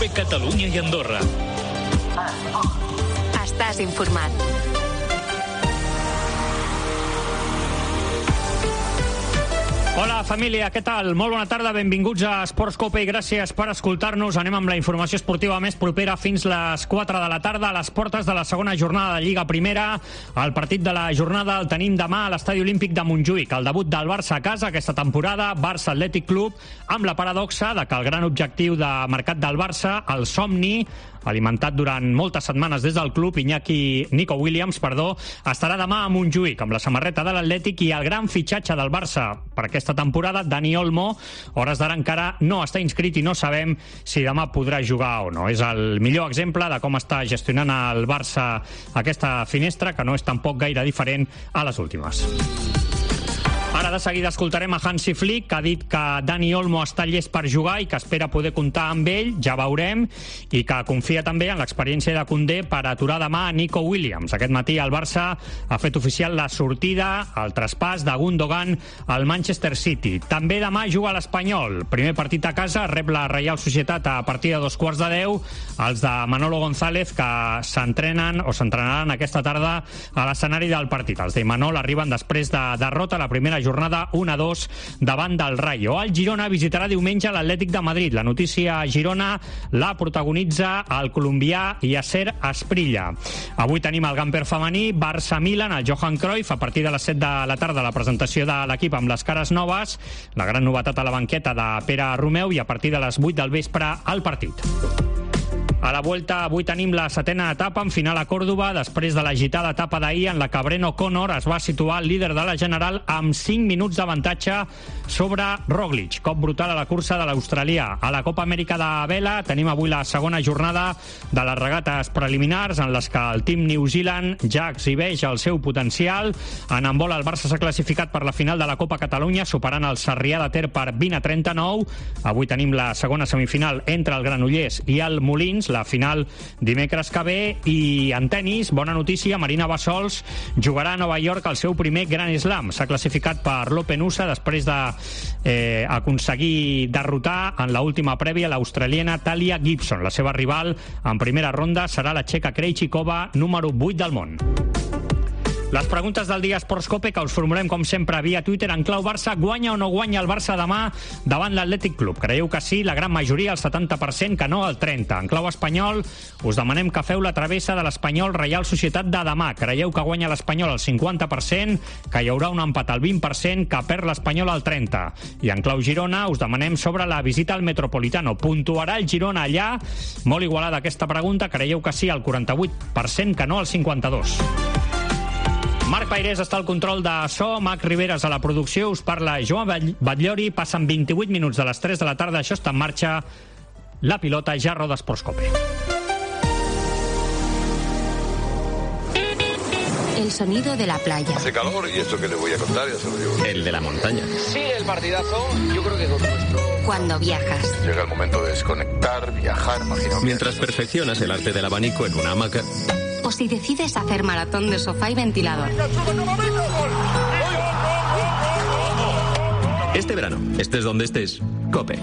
COPE Catalunya i Andorra. Estàs informat. Hola, família, què tal? Molt bona tarda, benvinguts a Esports Cope i gràcies per escoltar-nos. Anem amb la informació esportiva més propera fins les 4 de la tarda a les portes de la segona jornada de Lliga Primera. El partit de la jornada el tenim demà a l'Estadi Olímpic de Montjuïc. El debut del Barça a casa aquesta temporada, Barça Atlètic Club, amb la paradoxa de que el gran objectiu de mercat del Barça, el somni, alimentat durant moltes setmanes des del club, Nico Williams, estarà demà a Montjuïc amb la samarreta de l'Atlètic i el gran fitxatge del Barça per aquesta temporada, Dani Olmo, hores d'ara encara no està inscrit i no sabem si demà podrà jugar o no. És el millor exemple de com està gestionant el Barça aquesta finestra, que no és tampoc gaire diferent a les últimes. Ara de seguida escoltarem a Hansi Flick, que ha dit que Dani Olmo està llest per jugar i que espera poder comptar amb ell, ja veurem, i que confia també en l'experiència de Koundé per aturar demà a Nico Williams. Aquest matí el Barça ha fet oficial la sortida, el traspàs de Gundogan al Manchester City. També demà juga a l'Espanyol. Primer partit a casa, rep la Reial Societat a partir de 2:15, els de Manolo González, que s'entrenaran aquesta tarda a l'escenari del partit. Els de Manol arriben després de derrota la primera jornada 1-2 davant del Rayo. El Girona visitarà diumenge l'Atlètic de Madrid. La notícia a Girona la protagonitza el colombià Yasser Asprilla. Avui tenim el Gamper femení, Barça-Milan, el Johan Cruyff, a partir de les 7 de la tarda la presentació de l'equip amb les cares noves, la gran novetat a la banqueta de Pere Romeu, i a partir de les 8 del vespre el partit. A la Vuelta avui tenim la 7a etapa en final a Còrdova, després de l'agitada etapa d'ahir en la que Brent O'Connor es va situar al líder de la general amb 5 minuts d'avantatge sobre Roglic. Cop brutal a la cursa de l'australià. A la Copa Amèrica de vela tenim avui la segona jornada de les regates preliminars en les que el Team New Zealand ja exhibeix el seu potencial. En handbol el Barça s'ha classificat per la final de la Copa Catalunya, superant el Sarrià de Ter per 20-39. Avui tenim la segona semifinal entre el Granollers i el Molins, la final dimecres que ve. I en tenis, bona notícia, Marina Bassols jugarà a Nova York el seu primer Grand Slam. S'ha classificat per l'Open USA després de aconseguir derrotar en l'última prèvia l'australiana Talia Gibson. La seva rival en primera ronda serà la txeca Krejcikova, número 8 del món. Les preguntes del dia Esports Cope, que us formulem com sempre via Twitter en clau Barça. Guanya o no guanya el Barça demà davant l'Atlètic Club? Creieu que sí, la gran majoria, el 70%, que no, el 30%. En clau espanyol us demanem que feu la travessa de l'Espanyol Reial Societat de demà. Creieu que guanya l'Espanyol al 50%, que hi haurà un empat al 20%, que perd l'Espanyol al 30%. I en clau Girona us demanem sobre la visita al Metropolitano. Puntuarà el Girona allà? Molt igualada aquesta pregunta. Creieu que sí, al 48%, que no, al 52%. Marc Pairés està al control de so, Mac Riveras a la producció, us parla Joan Batllori. Passen 28 minuts de les 3 de la tarda, això està en marxa. La pilota ja roda Esports Cope. El sonido de la playa. Hace calor y esto que le voy a contar ya se lo digo. El de la montaña. Sí, el partidazo, yo creo que es nuestro. Cuando viajas. Llega el momento de desconectar, viajar, imagino. Mientras perfeccionas el arte del abanico en una hamaca. O si decides hacer maratón de sofá y ventilador. Este verano, estés donde estés, COPE.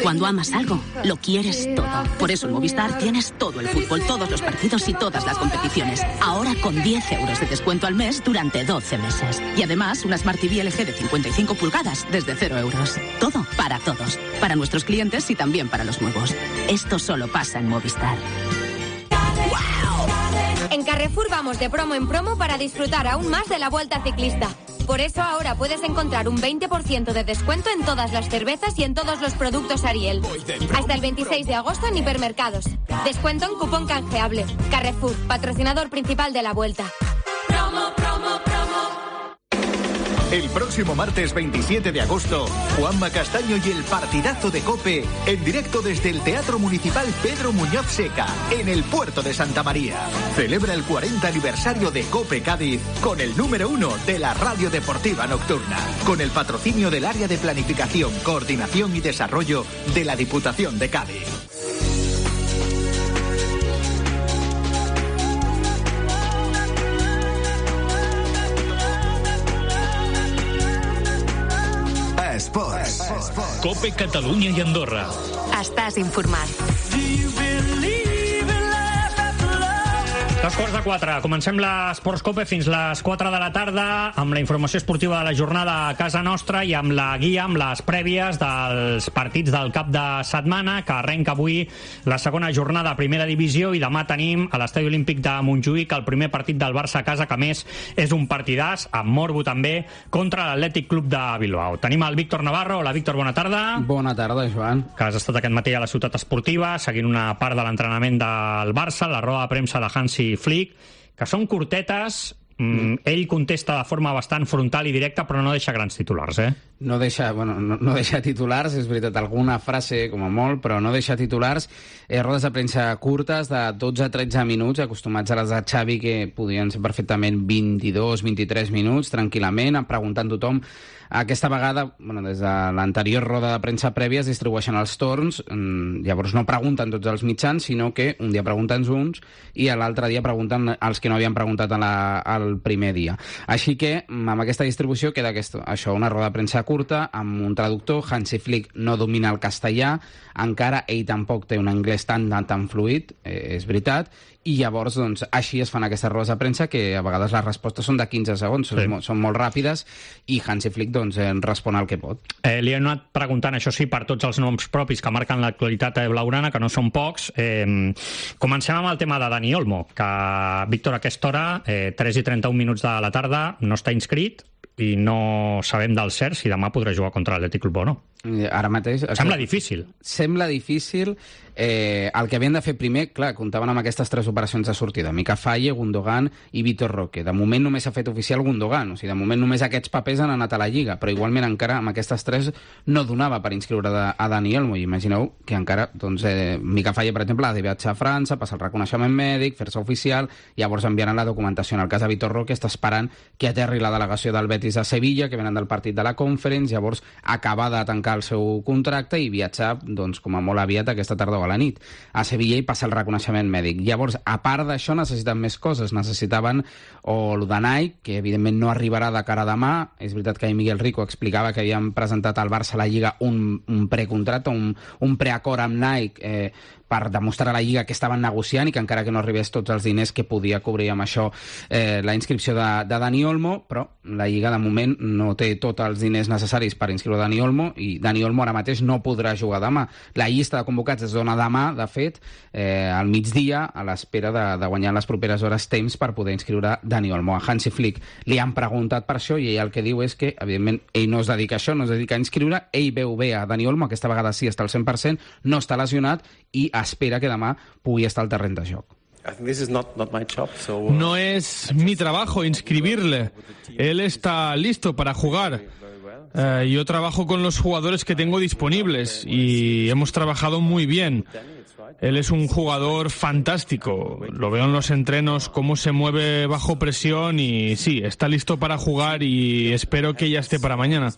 Cuando amas algo, lo quieres todo. Por eso en Movistar tienes todo el fútbol, todos los partidos y todas las competiciones. Ahora con 10 euros de descuento al mes durante 12 meses. Y además una Smart TV LG de 55 pulgadas desde 0 euros. Todo para todos. Para nuestros clientes y también para los nuevos. Esto solo pasa en Movistar. En Carrefour vamos de promo en promo para disfrutar aún más de la Vuelta Ciclista. Por eso ahora puedes encontrar un 20% de descuento en todas las cervezas y en todos los productos Ariel. Hasta el 26 de agosto en hipermercados. Descuento en cupón canjeable. Carrefour, patrocinador principal de la Vuelta. Promo, promo, promo. El próximo martes 27 de agosto, Juanma Castaño y el partidazo de COPE en directo desde el Teatro Municipal Pedro Muñoz Seca, en el puerto de Santa María. Celebra el 40 aniversario de COPE Cádiz con el número 1 de la radio deportiva nocturna, con el patrocinio del Área de Planificación, Coordinación y Desarrollo de la Diputación de Cádiz. Sports. COPE Catalunya i Andorra. Estàs informat. 3:45. Comencem l'Esports Cope fins les 4 de la tarda amb la informació esportiva de la jornada a casa nostra i amb la guia, amb les prèvies dels partits del cap de setmana, que arrenca avui la segona jornada a primera divisió i demà tenim a l'Estadi Olímpic de Montjuïc el primer partit del Barça a casa, que a més és un partidàs, amb morbo també, contra l'Atlètic Club de Bilbao. Tenim el Víctor Navarro. Hola, Víctor, bona tarda. Bona tarda, Joan. Que has estat aquest matí a la ciutat esportiva seguint una part de l'entrenament del Barça, la roda de premsa de Hansi Flick, que són curtetes. Ell contesta de forma bastant frontal i directa, però no deixa grans titulars, No deixa titulars, és veritat, alguna frase com a molt, però no deixa titulars. Rodes de premsa curtes de 12-13 minuts, acostumats a les de Xavi, que podien ser perfectament 22-23 minuts, tranquil·lament, preguntant tothom. Aquesta vegada, des de l'anterior roda de premsa prèvia es distribueixen els torns, llavors no pregunten tots els mitjans, sinó que un dia pregunten uns i l'altre dia pregunten els que no havien preguntat el primer dia. Així que amb aquesta distribució queda això, una roda de premsa curta amb un traductor. Hansi Flick no domina el castellà, encara ell tampoc té un anglès tan fluid, és veritat, i llavors així es fan aquestes rodes de premsa, que a vegades les respostes són de 15 segons, són molt ràpides, i Hansi Flick respon el que pot. Li hem anat preguntant, això sí, per tots els noms propis que marquen l'actualitat blaugrana, que no són pocs. Comencem amb el tema de Dani Olmo, que Víctor a aquesta hora, 3:31 minuts de la tarda, no està inscrit i no sabem del cert si demà podrà jugar contra l'Atlètic Club o no. Ara mateix... Sembla difícil. Sembla difícil. El que havien de fer primer, clar, comptaven amb aquestes 3 operacions de sortida: Mika Faye, Gundogan i Vitor Roque. De moment només s'ha fet oficial Gundogan, o sigui, de moment només aquests papers han anat a la Lliga, però igualment encara amb aquestes 3 no donava per inscriure a Dani Olmo. I imagineu que encara, Mika Faye, per exemple, ha de viatjar a França, passar el reconeixement mèdic, fer-se oficial, llavors enviaran la documentació. En el cas de Vitor Roque està esperant que aterri la delegació del Betis a Sevilla, que venen del partit de la Conference, llavors acabar de tancar el seu contracte i viatjar, com a molt aviat aquesta tarda o a la nit a Sevilla i passar el reconeixement mèdic. Llavors, a part d'això, necessiten més coses. Necessitaven o el de Nike, que evidentment no arribarà de cara a demà. És veritat que Miguel Rico explicava que havien presentat al Barça a la Lliga un precontracte, un preacord amb Nike per demostrar a la Lliga que estaven negociant i que encara que no arribés tots els diners que podia cobrir amb això la inscripció de Dani Olmo, però la Lliga de moment no té tots els diners necessaris per inscriure Dani Olmo i Dani Olmo ara mateix no podrà jugar demà. La llista de convocats es dona demà, de fet, al migdia, a l'espera de guanyar les properes hores temps per poder inscriure Dani Olmo. A Hansi Flick li han preguntat per això i ell el que diu és que, evidentment, ell no es dedica a això, no es dedica a inscriure, ell veu bé a Dani Olmo, aquesta vegada sí està al 100%, no està lesionat i espera que demà pugui estar al terreny de joc. No es mi trabajo inscribirle. Él está listo para jugar. Yo trabajo con los jugadores que tengo disponibles y hemos trabajado muy bien. Él es un jugador fantástico. Lo veo en los entrenos, cómo se mueve bajo presión y sí, está listo para jugar y espero que ya esté para mañana.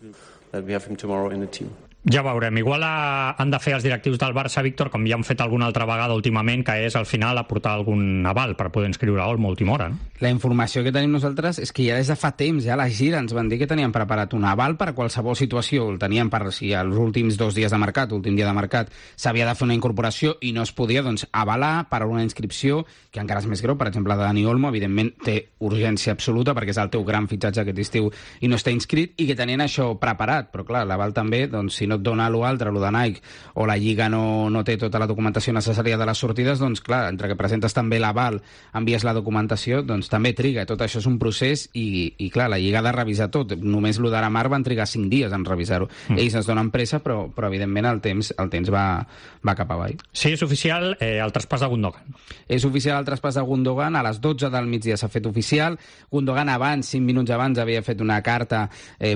Ja veurem. Igual han de fer els directius del Barça, Víctor, com ja han fet alguna altra vegada últimament, que és al final aportar algun aval per poder inscriure a Olmo a última hora, no? La informació que tenim nosaltres és que ja des de fa temps, ja a la gira ens van dir que tenien preparat un aval per a qualsevol situació. El tenien per si els últims 2 dies de mercat, últim dia de mercat, s'havia de fer una incorporació i no es podia, avalar per a una inscripció que encara és més greu. Per exemple, Dani Olmo, evidentment, té urgència absoluta perquè és el teu gran fitxatge aquest estiu i no està inscrit i que tenien això preparat. Però clar, l'aval també, si no et dona l'altre, de Nike, o la Lliga no té tota la documentació necessària de les sortides, clar, entre que presentes també l'aval, envies la documentació, també triga. Tot això és un procés i clar, la Lliga ha de revisar tot. Només l'Udara-Mar van trigar 5 dies en revisar-ho. Ells es donen pressa, però evidentment el temps va cap avall. Sí, és oficial el traspàs de Gundogan. És oficial el traspàs de Gundogan, a les 12 del migdia s'ha fet oficial. Gundogan abans, 5 minuts abans, havia fet una carta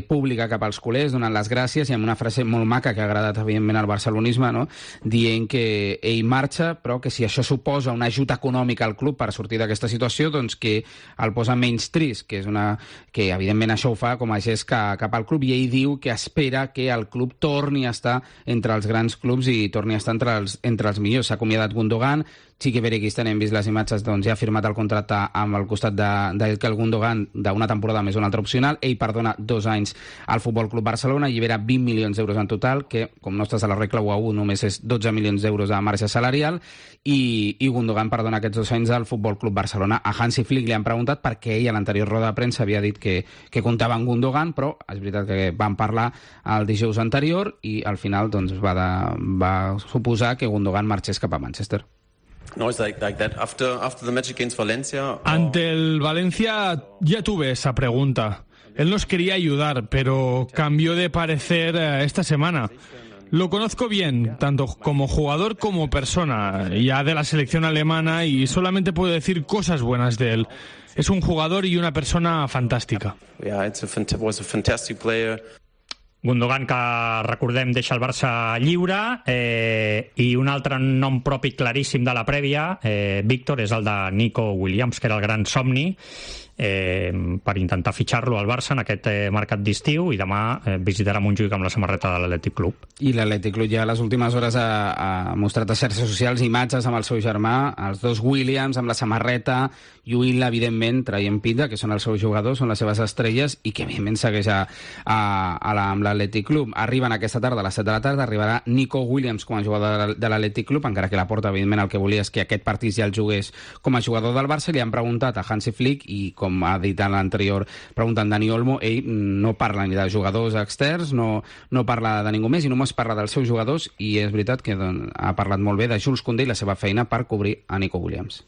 pública cap als culers, donant les gràcies i amb una frase molt maca que ha agradat evidentment al barcelonisme, no? Dient que ell marxa, però que si això suposa un ajut econòmic al club per sortir d'aquesta situació, que el posa menys trist, que evidentment això ho fa com a gest cap al club, i ell diu que espera que el club torni a estar entre els grans clubs i torni a estar entre els millors. S'ha acomiadat Gundogan, Chiqui Berekisten, hem vist les imatges, doncs ja ha firmat el contracte amb el costat d'Ilkay Gundogan d'una temporada més una altra opcional. Ell perdona 2 anys al Futbol Club Barcelona, allibera 20 milions d'euros en total, que com no estàs a la regla 1-1 només és 12 milions d'euros de marge salarial, i Gundogan perdona aquests 2 anys al Futbol Club Barcelona. A Hansi Flick li han preguntat perquè ell a l'anterior roda de premsa havia dit que comptava amb Gundogan, però és veritat que van parlar el dijous anterior i al final doncs, va suposar que Gundogan marxés cap a Manchester. No, it's like that. After the match against Valencia... Ante el Valencia ya tuve esa pregunta. Él nos quería ayudar, pero cambió de parecer esta semana. Lo conozco bien, tanto como jugador como persona, ya de la selección alemana, y solamente puedo decir cosas buenas de él. Es un jugador y una persona fantàstica. Yeah, was a fantastic player. Gundogan, que recordem deixa el Barça lliure, i un altre nom propi claríssim de la prèvia, Víctor, és el de Nico Williams, que era el gran somni per intentar fitxar-lo al Barça en aquest mercat d'estiu, i demà visitarà Montjuïc amb la samarreta de l'Atlètic Club. I l'Atlètic Club ja a les últimes hores ha mostrat a xarxes socials imatges amb el seu germà, els dos Williams amb la samarreta, lluint-la, evidentment, traient pinta, que són els seus jugadors, són les seves estrelles, i que evidentment segueix amb l'Atlètic Club. Arriben aquesta tarda, a les 7 de la tarda, arribarà Nico Williams com a jugador de l'Atlètic Club, encara que la Porta, evidentment, el que volia és que aquest partit ja el jugués com a jugador del Barça. Li han preguntat a Hansi Flick, i com ha dit en l'anterior pregunta en Dani Olmo, ell no parla ni de jugadors externs, no parla de ningú més, i només parla dels seus jugadors, i és veritat que ha parlat molt bé de Jules Koundé i la seva feina per cobrir a Nico Williams.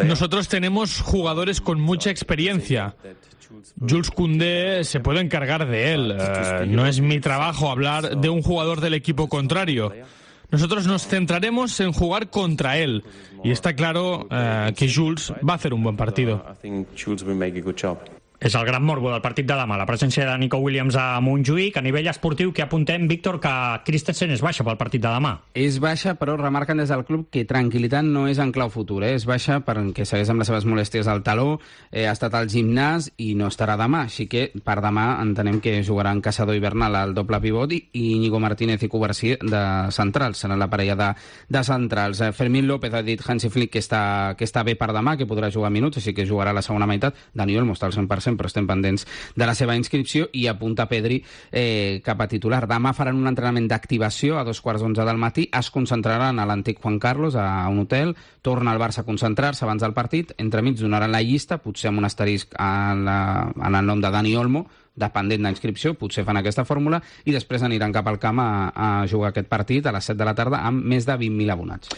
Nosotros tenemos jugadores con mucha experiencia. Jules Koundé se puede encargar de él. No es mi trabajo hablar de un jugador del equipo contrario. Nosotros nos centraremos en jugar contra él. Y está claro que Jules va a hacer un buen partido. És el gran morbo del partit de demà, la presència de Nico Williams a Montjuïc. A nivell esportiu, que apuntem, Víctor, que Christensen és baixa pel partit de demà. És baixa, però remarquen des del club que tranquil·litat no és en clau futur. És baixa perquè segueix amb les seves molèsties al taló, ha estat al gimnàs i no estarà demà. Així que per demà entenem que jugaran Caçador i Bernal al doble pivot i Íñigo Martínez i Covarsí de centrals. Serà la parella de centrals. Fermín López ha dit Hansi Flick que està bé per demà, que podrà jugar minuts, així que jugarà la segona meitat. Dani Olmo està al 100%, però estem pendents de la seva inscripció, i apunta Pedri cap a titular. Demà faran un entrenament d'activació a 2:15 del matí, es concentraran a l'antic Juan Carlos, a un hotel, torna al Barça a concentrar-se abans del partit, entremig donaran la llista, potser amb un asterisc en el nom de Dani Olmo, dependent d'inscripció, potser fan aquesta fórmula, i després aniran cap al camp a jugar aquest partit a les 7 de la tarda amb més de 20.000 abonats.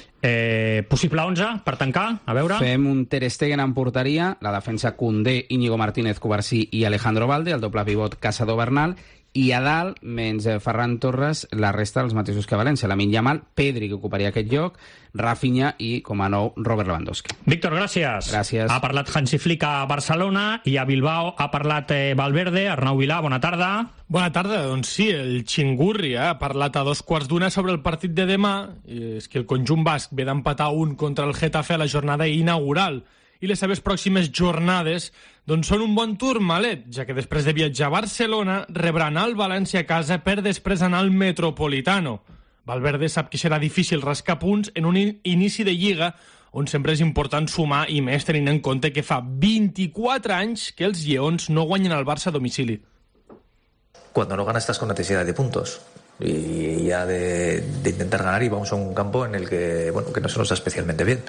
Possible 11 per tancar? A veure... Fem un Ter Stegen en porteria, la defensa Koundé, Íñigo Martínez, Covarsí i Alejandro Balde, el doble pivot Caçador Bernal, i a dalt, menys Ferran Torres, la resta dels mateixos que València. Lamine Yamal, Pedri, que ocuparia aquest lloc, Rafinha i, com a nou, Robert Lewandowski. Víctor, gràcies. Gràcies. Ha parlat Hansi Flick a Barcelona, i a Bilbao ha parlat Valverde. Arnau Vilà, bona tarda. Bona tarda, doncs sí, el Xingurri ha parlat a 2:15 sobre el partit de demà. És que el conjunt basc ve d'empatar 1 contra el Getafe a la jornada inaugural, i les seves pròximes jornades doncs són un bon turmalet, ja que després de viatjar a Barcelona rebran el València a casa per després anar al Metropolitano. Valverde sap que serà difícil rascar punts en un inici de Lliga on sempre és important sumar, i més tenint en compte que fa 24 anys que els lleons no guanyen al Barça a domicili. Cuando no ganas estás con necesidad de puntos y ya de intentar ganar, y vamos a un campo en el que no se nos da especialmente bien.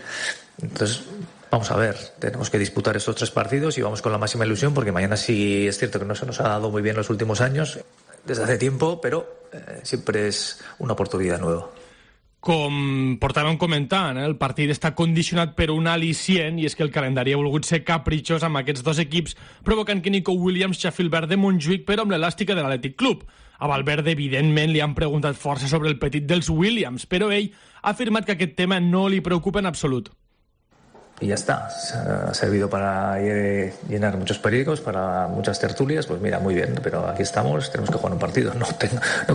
Entonces, vamos a ver, tenemos que disputar estos 3 partidos y vamos con la máxima ilusión, porque mañana sí es cierto que no se nos ha dado muy bien los últimos años, desde hace tiempo, pero siempre es una oportunidad nueva. Com portàvem comentant, el partit està condicionat per un al·licient, i és que el calendari ha volgut ser capritxós amb aquests dos equips, provocant que Nico Williams xafi el verd de Montjuïc, però amb l'elàstica de l'Atlètic Club. A Valverde, evidentment, li han preguntat força sobre el petit dels Williams, però ell ha afirmat que aquest tema no li preocupa en absolut. Y ya está, ha servido para llenar muchos periódicos, para muchas tertulias, pues mira, muy bien, pero aquí estamos, tenemos que jugar un partido, no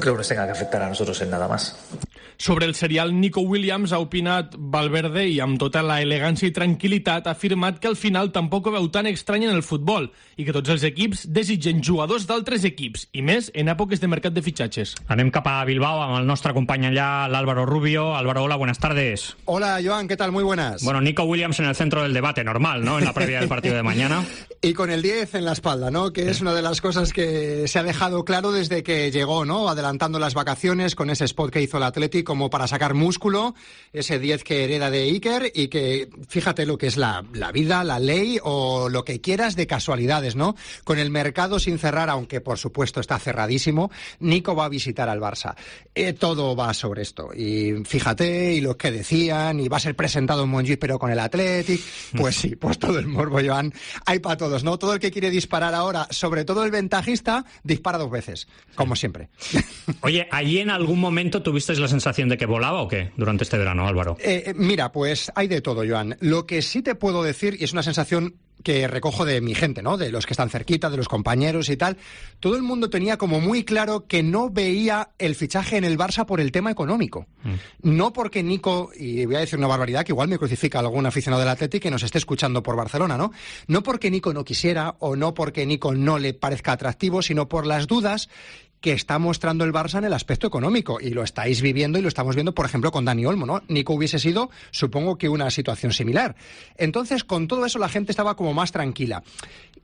creo que nos tenga que afectar a nosotros en nada más. Sobre el serial Nico Williams ha opinat Valverde i amb tota la elegància i tranquil·litat ha afirmat que al final tampoc ho veu tan estrany en el futbol i que tots els equips desitgen jugadors d'altres equips, i més en èpoques de mercat de fitxatges. Anem cap a Bilbao amb el nostre company allà, l'Álvaro Rubio. Álvaro, hola, buenas tardes. Hola, Joan, ¿qué tal? Muy buenas. Bueno, Nico Williams en el centro del debate, normal, ¿no? En la previa del partido de mañana. Y con el 10 en la espalda, ¿no? Que es una de las cosas que se ha dejado claro desde que llegó, ¿no? Adelantando las vacaciones con ese spot que hizo el Athletic como para sacar músculo, ese 10 que hereda de Iker y que, fíjate lo que es la vida, la ley o lo que quieras de casualidades, ¿no? Con el mercado sin cerrar, aunque por supuesto está cerradísimo, Nico va a visitar al Barça. Todo va sobre esto. Y fíjate, y lo que decían, y va a ser presentado en Montjuïc pero con el Athletic, pues sí, pues todo el morbo, Joan, hay para todos, ¿no? Todo el que quiere disparar ahora, sobre todo el ventajista, dispara 2 veces, como siempre. Oye, ¿allí en algún momento tuvisteis la sensación de que volaba o qué durante este verano, Álvaro? Mira, pues hay de todo, Joan. Lo que sí te puedo decir, y es una sensación que recojo de mi gente, ¿no? De los que están cerquita, de los compañeros y tal, todo el mundo tenía como muy claro que no veía el fichaje en el Barça por el tema económico. No porque Nico, y voy a decir una barbaridad que igual me crucifica algún aficionado del Athletic que nos esté escuchando por Barcelona, ¿no? No porque Nico no quisiera o no porque Nico no le parezca atractivo, sino por las dudas que está mostrando el Barça en el aspecto económico, y lo estáis viviendo y lo estamos viendo, por ejemplo, con Dani Olmo, ¿no? Nico hubiese sido, supongo que una situación similar. Entonces, con todo eso la gente estaba como más tranquila.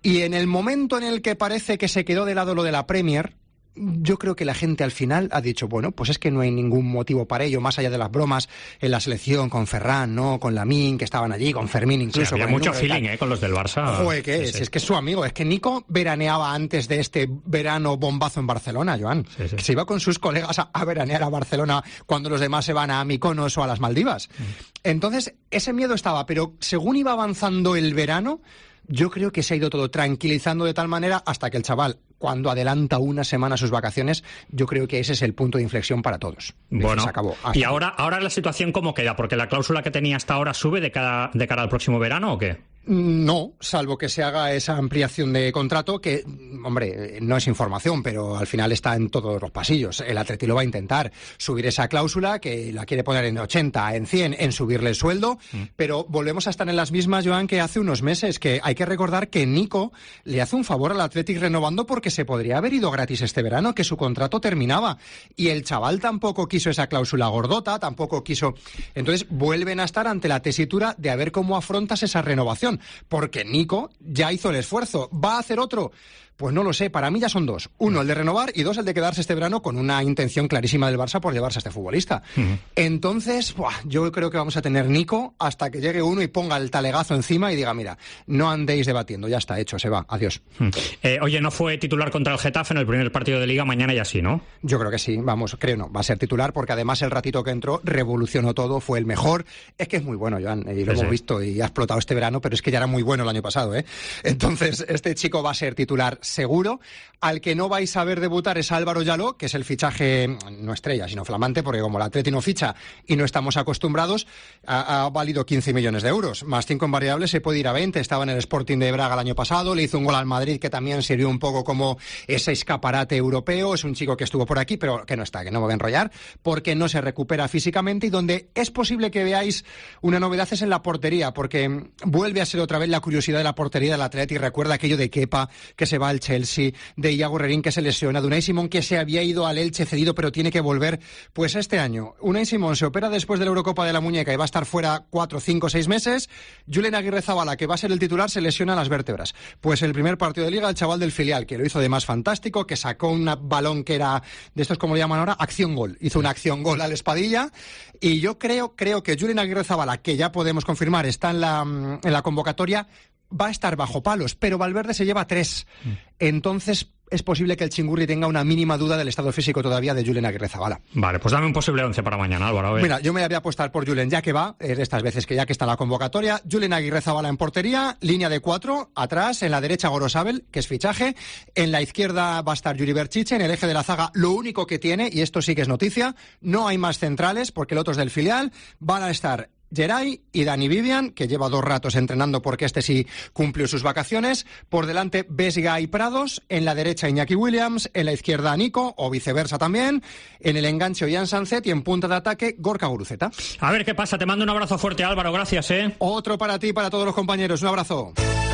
Y en el momento en el que parece que se quedó de lado lo de la Premier, yo creo que la gente al final ha dicho, bueno, pues es que no hay ningún motivo para ello, más allá de las bromas en la selección con Ferran, ¿no? Con Lamine, que estaban allí, con Fermín incluso. Sí, había mucho feeling, con los del Barça. Joder, ¿qué es? Sí. Es que es su amigo. Es que Nico veraneaba antes de este verano bombazo en Barcelona, Joan. Sí. Que se iba con sus colegas a veranear a Barcelona cuando los demás se van a Mykonos o a las Maldivas. Entonces, ese miedo estaba, pero según iba avanzando el verano, yo creo que se ha ido todo tranquilizando de tal manera hasta que el chaval, cuando adelanta una semana sus vacaciones, yo creo que ese es el punto de inflexión para todos. Bueno, se acabó. ¿Y ahora la situación cómo queda? ¿Porque la cláusula que tenía hasta ahora sube de cara al próximo verano o qué? No, salvo que se haga esa ampliación de contrato que, hombre, no es información, pero al final está en todos los pasillos. El Atleti lo va a intentar subir esa cláusula, que la quiere poner en 80, en 100, en subirle el sueldo, pero volvemos a estar en las mismas, Joan, que hace unos meses, que hay que recordar que Nico le hace un favor al Athletic renovando porque se podría haber ido gratis este verano, que su contrato terminaba, y el chaval tampoco quiso esa cláusula gordota, tampoco quiso. Entonces vuelven a estar ante la tesitura de a ver cómo afrontas esa renovación. Porque Nico ya hizo el esfuerzo. ¿Va a hacer otro? Pues no lo sé, para mí ya son 2. 1, el de renovar, y 2, el de quedarse este verano con una intención clarísima del Barça por llevarse a este futbolista. Entonces, yo creo que vamos a tener Nico hasta que llegue uno y ponga el talegazo encima y diga, mira, no andéis debatiendo, ya está hecho, se va, adiós. Oye, ¿no fue titular contra el Getafe en el primer partido de Liga? Mañana ya sí, ¿no? Yo creo que sí, vamos, creo no, va a ser titular porque además el ratito que entró revolucionó todo, fue el mejor. Es que es muy bueno, Joan, y lo hemos visto y ha explotado este verano, pero es que ya era muy bueno el año pasado, ¿eh? Entonces, este chico va a ser titular seguro. Al que no vais a ver debutar es Álvaro Llaló, que es el fichaje, no estrella, sino flamante, porque como el Atleti no ficha y no estamos acostumbrados, ha valido 15 millones de euros, más 5 en variables, se puede ir a 20, estaba en el Sporting de Braga el año pasado, le hizo un gol al Madrid que también sirvió un poco como ese escaparate europeo, es un chico que estuvo por aquí, pero que no está, que no me voy a enrollar, porque no se recupera físicamente, y donde es posible que veáis una novedad es en la portería, porque vuelve a ser otra vez la curiosidad de la portería del Atleti. Recuerda aquello de Kepa, que se va al Chelsea, de Iago Rerín, que se lesiona, de Unai Simón, que se había ido al Elche cedido pero tiene que volver. Pues este año Unai Simón se opera después de la Eurocopa de la muñeca y va a estar fuera 4, 5, 6 meses. Julen Aguirrezabala, que va a ser el titular, se lesiona las vértebras. Pues el primer partido de Liga, el chaval del filial, que lo hizo de más fantástico, que sacó un balón que era de estos, como le llaman ahora, acción-gol. Hizo una acción-gol al Espadilla, y yo creo que Julen Aguirrezabala, que ya podemos confirmar está en la convocatoria, va a estar bajo palos, pero Valverde se lleva 3. Entonces es posible que el Chingurri tenga una mínima duda del estado físico todavía de Julen Aguirrezabala. Vale, pues dame un posible 11 para mañana, Álvaro. Mira, yo me voy a apostar por Julen, ya que va, de estas veces que ya que está en la convocatoria. Julen Aguirrezabala en portería, línea de 4, atrás, en la derecha Gorosabel, que es fichaje, en la izquierda va a estar Yuri Berchiche, en el eje de la zaga lo único que tiene, y esto sí que es noticia, no hay más centrales, porque el otro es del filial, van a estar Geray y Dani Vivian, que lleva 2 ratos entrenando porque este sí cumplió sus vacaciones. Por delante, Vesga y Prados. En la derecha, Iñaki Williams. En la izquierda, Nico, o viceversa también. En el enganche, Ollán Sancet. Y en punta de ataque, Gorka Guruceta. A ver qué pasa. Te mando un abrazo fuerte, Álvaro. Gracias, Otro para ti y para todos los compañeros. Un abrazo.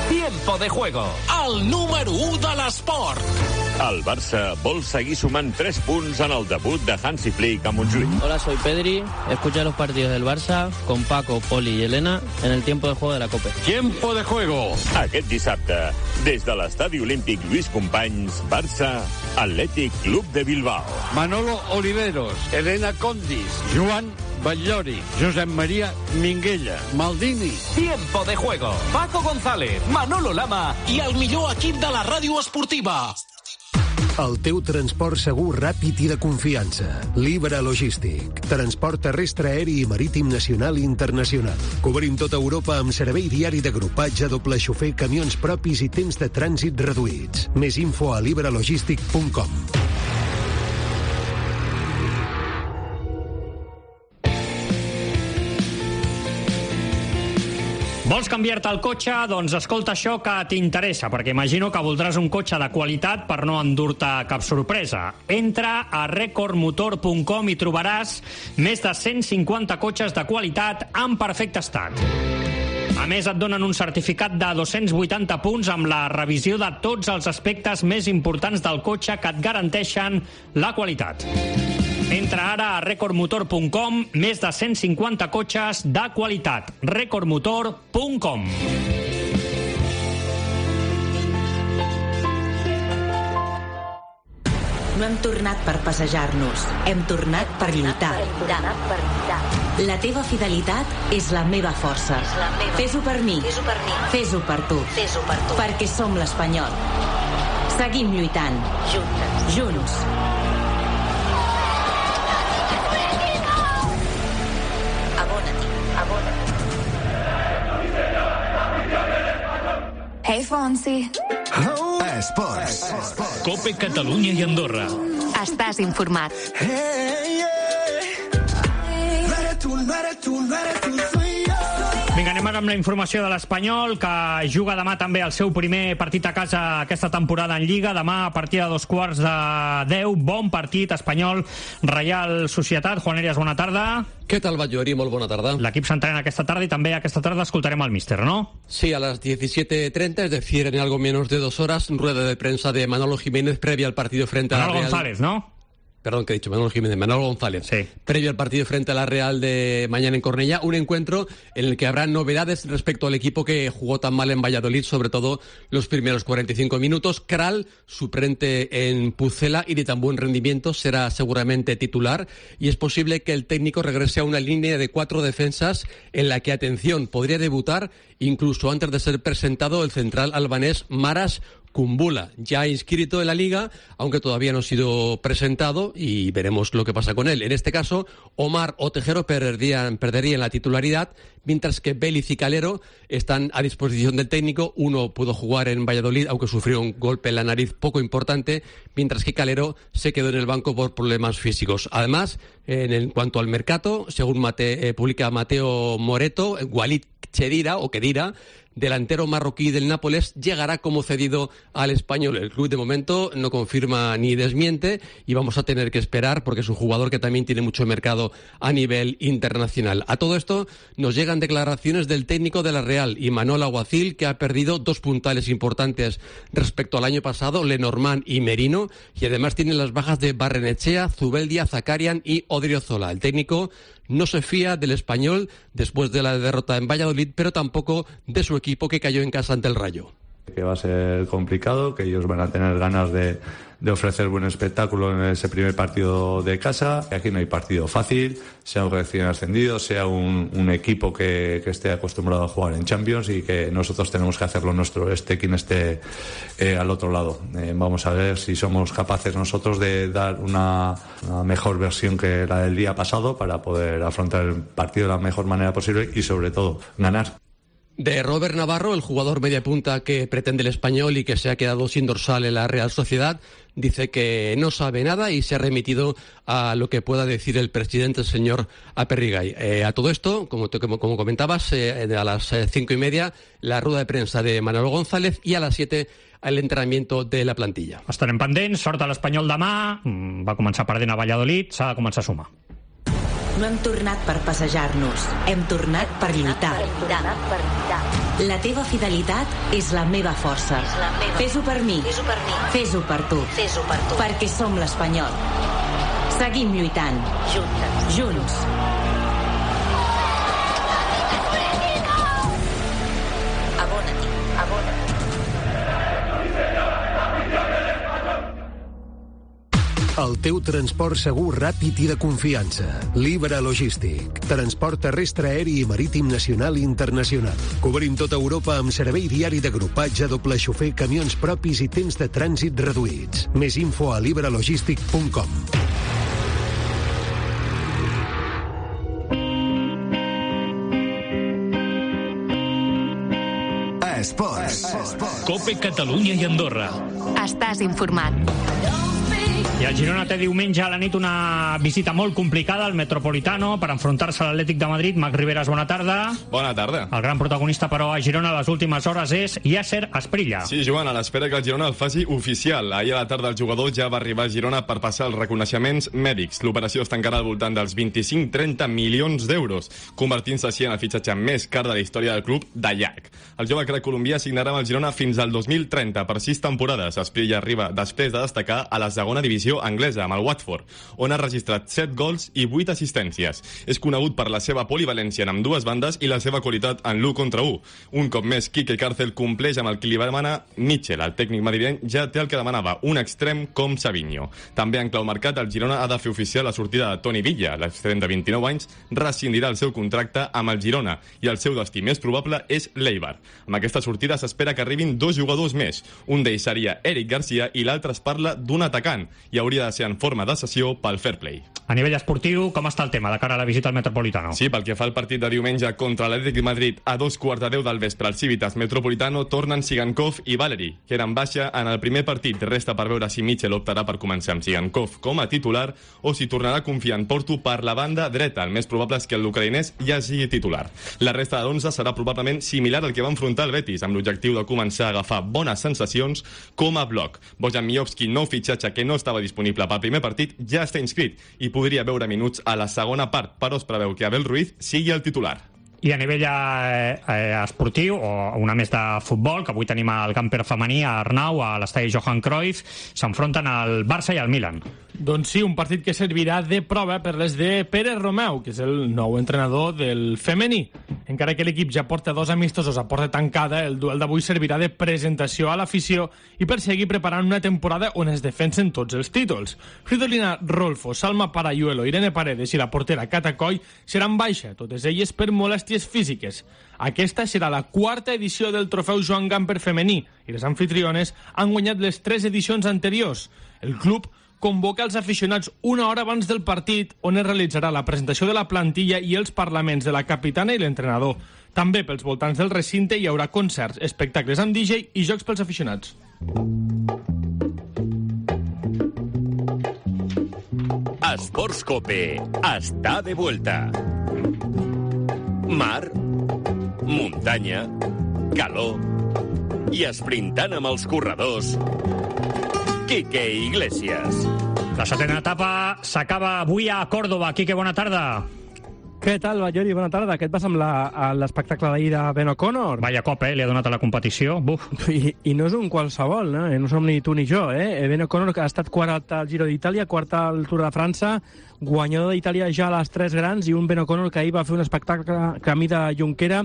Tiempo de juego. El número 1 de l'esport. El Barça vol seguir sumant 3 punts en el debut de Hansi Flick a Montjuïc. Hola, soy Pedri. Escucha los partidos del Barça con Paco, Poli y Elena en el tiempo de juego de la Copa. Tiempo de juego. Aquest dissabte, des de l'Estadi Olímpic Lluís Companys, Barça, Atlètic Club de Bilbao. Manolo Oliveros, Elena Condis, Joan Batllori, Josep Maria Minguella, Maldini. Tiempo de juego. Paco González, Manolo Lama i el millor equip de la ràdio esportiva. El teu transport segur, ràpid i de confiança. Libra Logístic. Transport terrestre, aeri i marítim nacional i internacional. Cobrim tota Europa amb servei diari d'agrupatge, doble xofer, camions propis i temps de trànsit reduïts. Més info a libralogistic.com. Vols canviar-te el cotxe? Doncs escolta això que t'interessa, perquè imagino que voldràs un cotxe de qualitat per no endur-te cap sorpresa. Entra a recordmotor.com i trobaràs més de 150 cotxes de qualitat en perfecte estat. A més, et donen un certificat de 280 punts amb la revisió de tots els aspectes més importants del cotxe que et garanteixen la qualitat. Entra ara a recordmotor.com, més de 150 cotxes de qualitat. recordmotor.com. No hem tornat per passejar-nos, hem tornat per lluitar. La teva fidelitat és la meva força. Fes-ho per mi, fes-ho per tu, perquè som l'Espanyol. Seguim lluitant. Junts. Hey, Fonsi. Esports. Cope Catalunya i Andorra. Estàs informat. Vinga, anem ara amb la informació de l'Espanyol, que juga demà també el seu primer partit a casa aquesta temporada en Lliga. Demà a partir de 9:15. Bon partit, Espanyol, Reial Societat. Juan Elias, bona tarda. Què tal, Batllori? Molt bona tarda. L'equip s'entrena aquesta tarda i també aquesta tarda escoltarem al míster, ¿no? Sí, a las 17:30, es decir, en algo menos de 2 horas, rueda de prensa de Manolo Jiménez previa al partido frente a la Real. Manolo González, ¿no? Perdón, que he dicho Manolo Jiménez, Manolo González. Sí. Previo al partido frente a la Real de mañana en Cornellá, un encuentro en el que habrá novedades respecto al equipo que jugó tan mal en Valladolid, sobre todo los primeros 45 minutos. Kral, suplente en Pucela y de tan buen rendimiento, será seguramente titular y es posible que el técnico regrese a una línea de 4 defensas en la que, atención, podría debutar incluso antes de ser presentado el central albanés Maras Kumbula, ya inscrito en la Liga, aunque todavía no ha sido presentado y veremos lo que pasa con él. En este caso, Omar o Tejero perderían la titularidad, mientras que Vélez y Calero están a disposición del técnico. Uno pudo jugar en Valladolid, aunque sufrió un golpe en la nariz poco importante, mientras que Calero se quedó en el banco por problemas físicos. Además, en cuanto al mercado, según publica Mateo Moreto, Walid Khedira, delantero marroquí del Nápoles, llegará como cedido al Español. El club de momento no confirma ni desmiente y vamos a tener que esperar porque es un jugador que también tiene mucho mercado a nivel internacional. A todo esto nos llegan declaraciones del técnico de la Real, Imanol Alguacil, que ha perdido 2 puntales importantes respecto al año pasado, Lenormand y Merino, y además tiene las bajas de Barrenechea, Zubeldia, Zakarian y Odriozola. El técnico no se fía del Español después de la derrota en Valladolid, pero tampoco de su equipo que cayó en casa ante el Rayo. Que va a ser complicado, que ellos van a tener ganas de ofrecer buen espectáculo en ese primer partido de casa. Aquí no hay partido fácil, sea un recién ascendido, sea un equipo que esté acostumbrado a jugar en Champions, y que nosotros tenemos que hacer lo nuestro, quien esté al otro lado. Vamos a ver si somos capaces nosotros de dar una mejor versión que la del día pasado para poder afrontar el partido de la mejor manera posible y, sobre todo, ganar. De Robert Navarro, el jugador media punta que pretende el Español y que se ha quedado sin dorsal en la Real Sociedad, dice que no sabe nada y se ha remitido a lo que pueda decir el presidente, el señor Aperrigay. A todo esto, como comentabas, a las 5:30 la rueda de prensa de Manolo González y a las 7 el entrenamiento de la plantilla. Estarem pendents, sort a l'Espanyol demà, va començar perdent a Valladolid, s'ha de començar a sumar. No hem tornat per passejar-nos, hem tornat per lluitar. La teva fidelitat és la meva força. Fes-ho per mi, fes-ho per tu, perquè som l'Espanyol. Seguim lluitant, junts. El teu transport segur, ràpid i de confiança. Libra Logístic. Transport terrestre, aeri i marítim nacional i internacional. Cobrim tota Europa amb servei diari d'agrupatge, doble xofer, camions propis i temps de trànsit reduïts. Més info a libralogistic.com. Esports. Cope Catalunya i Andorra. Estàs informat. I el Girona té diumenge a la nit una visita molt complicada al Metropolitano per enfrontar-se a l'Atlètic de Madrid. Marc Riveras, bona tarda. Bona tarda. El gran protagonista, però, a Girona a les últimes hores és Yasser Asprilla. Sí, Joan, a l'espera que el Girona el faci oficial. Ahir a la tarda el jugador ja va arribar a Girona per passar els reconeixements mèdics. L'operació es tancarà al voltant dels 25-30 milions d'euros, convertint-se així en el fitxatge més car de la història del club de llarg. El jove crac colombià signarà amb el Girona fins al 2030 per 6 temporades. Asprilla arriba després de destacar a la segona divisió anglesa amb el Watford, on ha registrat 7 gols i 8 assistències. És conegut per la seva polivalència en ambdues bandes i la seva qualitat en l'1 contra 1. Un cop més, Quique Cárcel compleix amb el que li va demanar Mitchell. El tècnic madrileny ja té el que demanava, un extrem com Savinho. També en clau mercat, el Girona ha de fer oficial la sortida de Toni Villa. L'extrem de 29 anys rescindirà el seu contracte amb el Girona i el seu destí més probable és l'Eibar. Amb aquesta sortida s'espera que arribin 2 jugadors més. Un d'ells seria Eric Garcia i l'altre es parla d'un atacant i hauria de ser en forma de cessió pel fair play. A nivell esportiu, com està el tema de cara a la visita al Metropolitano? Sí, pel que fa al partit de diumenge contra l'Atlètic de Madrid a 2:15 del vespre al Civitas Metropolitano, tornen Sigankov i Valeri, que eren baixa en el primer partit. Resta per veure si Mitchell optarà per començar amb Sigankov com a titular o si tornarà a confiar en Porto per la banda dreta. El més probable és que l'ucraïnès ja sigui titular. La resta de l'11 serà probablement similar al que va enfrontar el Betis, amb l'objectiu de començar a agafar bones sensacions com a bloc. Bojan Miovski, nou fitxatge que no estava disponible pel primer partit, ja està inscrit i podria veure minuts a la segona part, però es preveu que Abel Ruiz sigui el titular. I a nivell esportiu, o una més de futbol, que avui tenim al camper femení, a Arnau, a l'estadi Johan Cruyff, s'enfronten al Barça i al Milan. Doncs sí, un partit que servirà de prova per les de Pere Romeu, que és el nou entrenador del femení. Encara que l'equip ja porta 2 amistosos a porta tancada, el duel d'avui servirà de presentació a l'afició i per seguir preparant una temporada on es defensen tots els títols. Fridolina Rolfo, Salma Parayuelo, Irene Paredes i la portera Cata Coll seran baixa, totes elles per molèsties físiques. Aquesta serà la 4ª edició del trofeu Joan Gamper femení i les anfitriones han guanyat les 3 edicions anteriors. El club convoca els aficionats una hora abans del partit, on es realitzarà la presentació de la plantilla i els parlaments de la capitana i l'entrenador. També pels voltants del recinte hi haurà concerts, espectacles amb DJ i jocs pels aficionats. Esports Cope està de vuelta. Mar, muntanya, calor i esprintant amb els corredors, Quique Iglesias. La 7ª etapa s'acaba avui a Còrdova. Quique, bona tarda. Què tal, Ballori? Bona tarda. Què et passa amb l'espectacle d'ahir de Ben O'Connor? Vaya cop, li ha donat a la competició. Buf. I no és un qualsevol, no? No som ni tu ni jo, Ben O'Connor ha estat quart al Giro d'Itàlia, quart al Tour de França, guanyador d'Itàlia ja a les 3 grans, i un Ben O'Connor que ahir va fer un espectacle camí de Junquera,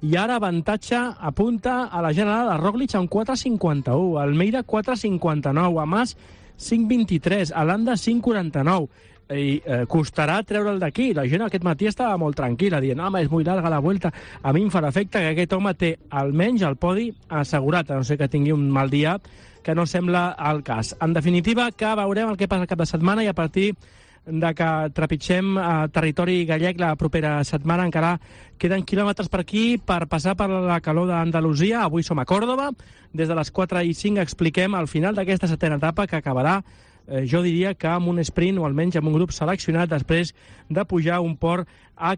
i ara avantatge apunta a la general de Roglic amb 4.51, Almeida 4.59, a Mas 5.23, a Landa 5.49, i costarà treure'l d'aquí. La gent aquest matí estava molt tranquil·la, dient, home, és molt llarga la Vuelta. A mi em farà efecte que aquest home té almenys el podi assegurat, a no ser que tingui un mal dia, que no sembla el cas. En definitiva, que veurem el que passa el cap de setmana i a partir de que trepitgem territori gallec la propera setmana. Encara queden quilòmetres per aquí per passar per la calor d'Andalusia. Avui som a Còrdova. Des de les 4:05 expliquem el final d'aquesta setena etapa, que acabarà, jo diria que amb un sprint o almenys amb un grup seleccionat després de pujar un port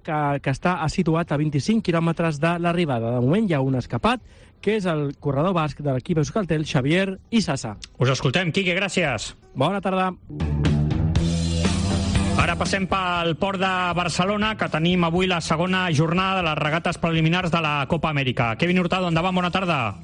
que està situat a 25 quilòmetres de l'arribada. De moment hi ha un escapat, que és el corredor basc de l'equip Euskaltel, Xavier Isasa. Us escoltem, Quique, gràcies. Bona tarda. Ara passem pel port de Barcelona, que tenim avui la segona jornada de les regates preliminars de la Copa Amèrica. Kevin Hurtado, endavant, bona tarda.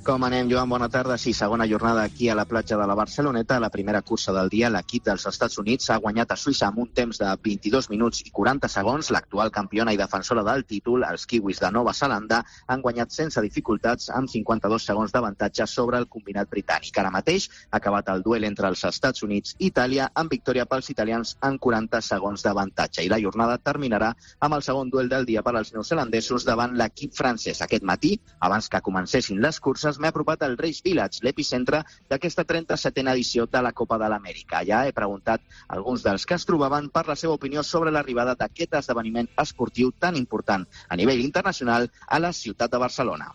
Com anem, Joan? Bona tarda. Sí, segona jornada aquí a la platja de la Barceloneta. La primera cursa del dia, l'equip dels Estats Units ha guanyat a Suïssa amb un temps de 22 minuts i 40 segons. L'actual campiona i defensora del títol, els kiwis de Nova Zelanda, han guanyat sense dificultats amb 52 segons d'avantatge sobre el combinat britànic. Ara mateix ha acabat el duel entre els Estats Units i Itàlia amb victòria pels italians en 40 segons d'avantatge. I la jornada terminarà amb el segon duel del dia per als neozelandesos davant l'equip francès. Aquest matí, abans que comencessin les curses, m'he apropat al Race Village, l'epicentre d'aquesta 37a edició de la Copa de l'Amèrica. Ja he preguntat a alguns dels que es trobaven per la seva opinió sobre l'arribada d'aquest esdeveniment esportiu tan important a nivell internacional a la ciutat de Barcelona.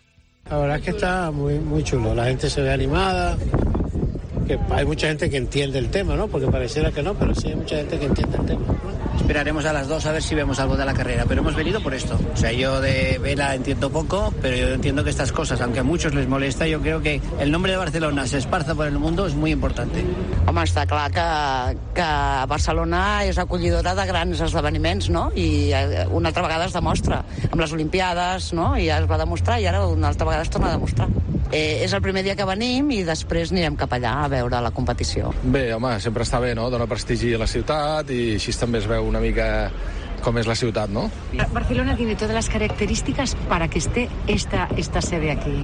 La verdad es que está muy chulo, la gente se ve animada, que hay mucha gente que entiende el tema, ¿no? Porque pareciera que no, pero sí hay mucha gente que entiende el tema. Esperaremos a las 2 a ver si vemos algo de la carrera, pero hemos venido por esto. O sea, yo de vela entiendo poco, pero yo entiendo que estas cosas, aunque a muchos les molesta, yo creo que el nombre de Barcelona se esparza por el mundo es muy importante. Home, està clar que Barcelona és acollidora de grans esdeveniments, no? I una altra vegada es demostra. Amb les Olimpiades, no? I ja es va demostrar i ara una altra vegada es torna a demostrar. És el primer dia que venim i després anirem cap allà a veure la competició. Bé, home, sempre està bé, no? Dona prestigi a la ciutat i així també es veu una mica com és la ciutat, ¿no? Barcelona tiene todas las características para que esté esta sede aquí.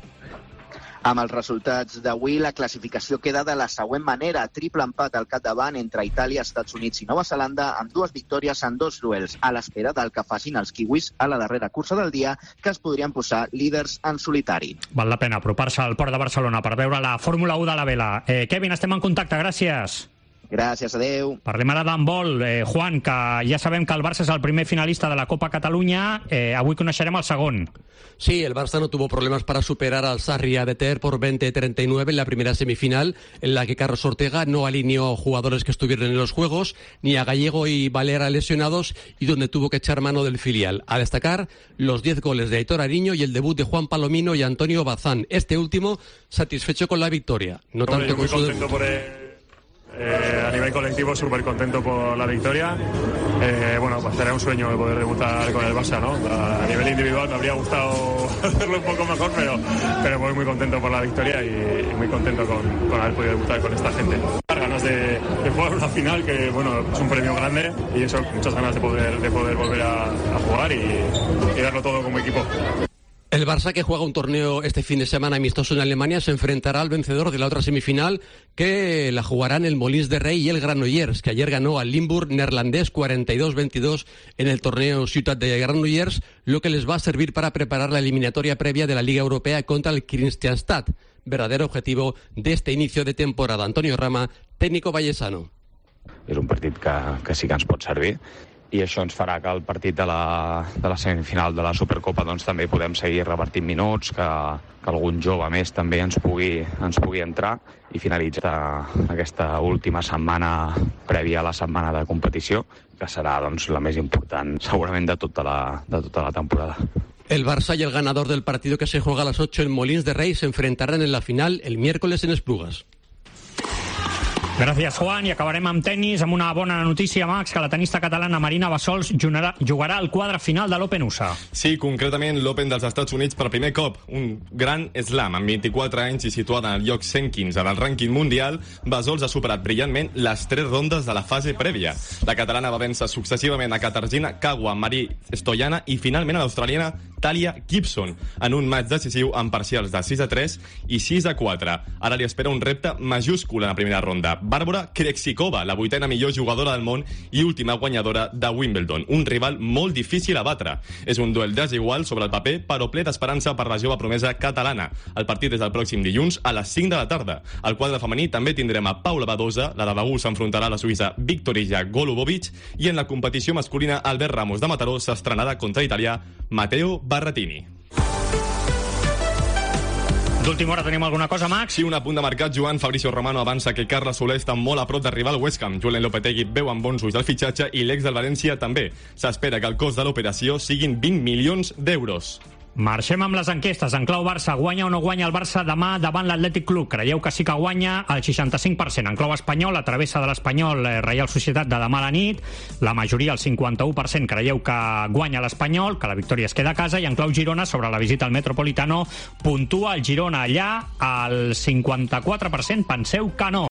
Amb els resultats d'avui, la classificació queda de la següent manera. Triple empat al capdavant entre Itàlia, Estats Units i Nova Zelanda, amb 2 victòries en 2 duels, a l'espera del que facin els kiwis a la darrera cursa del dia, que es podrien posar líders en solitari. Val la pena apropar-se al port de Barcelona per veure la Fórmula 1 de la vela. Kevin, estem en contacte, gràcies. Gràcies, adeu. Parlem ara d'handbol. Juan, que ja sabem que el Barça és el primer finalista de la Copa Catalunya. Avui coneixerem el segon. Sí, el Barça no tuvo problemas para superar al Sarria de Ter por 20-39 en la primera semifinal, en la que Carlos Ortega no alineó jugadores que estuvieron en los Juegos, ni a Gallego y Valera lesionados, y donde tuvo que echar mano del filial. A destacar los 10 goles de Aitor Ariño y el debut de Juan Palomino y Antonio Bazán. Este último satisfecho con la victoria. No tanto con su debut. A nivel colectivo, súper contento por la victoria. Bueno, pues será un sueño el poder debutar con el Barça, ¿no? A nivel individual me habría gustado hacerlo un poco mejor, pero voy muy contento por la victoria y muy contento con haber podido debutar con esta gente. Ganas de jugar una final que, bueno, es un premio grande y eso, muchas ganas de poder volver a jugar y darlo todo como equipo. El Barça, que juega un torneo este fin de semana amistoso en Alemania, se enfrentará al vencedor de la otra semifinal, que la jugarán el Molins de Rey y el Granollers, que ayer ganó al Limburg neerlandés 42-22 en el torneo Ciutat de Granollers, lo que les va a servir para preparar la eliminatoria previa de la Liga Europea contra el Kristianstad, verdadero objetivo de este inicio de temporada. Antonio Rama, técnico vallesano. És un partit que sí que ens pot servir, i això ens farà que el partit de la semifinal de la Supercopa doncs també podem seguir repartint minuts, que algun jove més també ens pugui entrar i finalitzar aquesta última setmana prèvia a la setmana de competició, que serà doncs la més important segurament de tota la temporada. El Barça y el ganador del partido que se juega a las 8 en Molins de Rey se enfrentarán en la final el miércoles en Esplugues. Gràcies, Juan. I acabarem amb tennis, amb una bona notícia, Max, que la tenista catalana Marina Bassols jugarà al quadre final de l'Open USA. Sí, concretament l'Open dels Estats Units per primer cop. Un gran slam, amb 24 anys i situada en el lloc 115 del rànquing mundial, Bassols ha superat brillantment les 3 rondes de la fase prèvia. La catalana va vèncer successivament a Katarzyna Kawa, Marie Stoyana i finalment a l'australiana Talia Gibson, en un match decisiu amb parcials de 6-3 i 6-4. Ara li espera un repte majúscul en la primera ronda. Bàrbara Krejcikova, la 8ª millor jugadora del món i última guanyadora de Wimbledon. Un rival molt difícil a batre. És un duel desigual sobre el paper, però ple d'esperança per la jove promesa catalana. El partit és el pròxim dilluns a les 5 de la tarda. Al quadre femení també tindrem a Paula Badosa, la de Begur s'enfrontarà a la suïssa Viktorija Golubovic, i en la competició masculina Albert Ramos de Mataró s'estrenarà contra l'italià Matteo Berrettini. D'última hora tenim alguna cosa, Max? Sí, un apunt de mercat. Joan Fabricio Romano avança que Carles Soler està molt a prop d'arribar al West Ham. Julen Lopetegui veu amb bons ulls el fitxatge i l'ex del València també. S'espera que el cost de l'operació siguin 20 milions d'euros. Marxem amb les enquestes. En clau Barça, guanya o no guanya el Barça demà davant l'Atlètic Club? Creieu que sí que guanya? El 65%. En clau espanyol, la travessa de l'Espanyol, Reial Societat de demà a la nit. La majoria, el 51%, creieu que guanya l'Espanyol, que la victòria es queda a casa. I en clau Girona, sobre la visita al Metropolitano, puntua el Girona allà. El 54% penseu que no.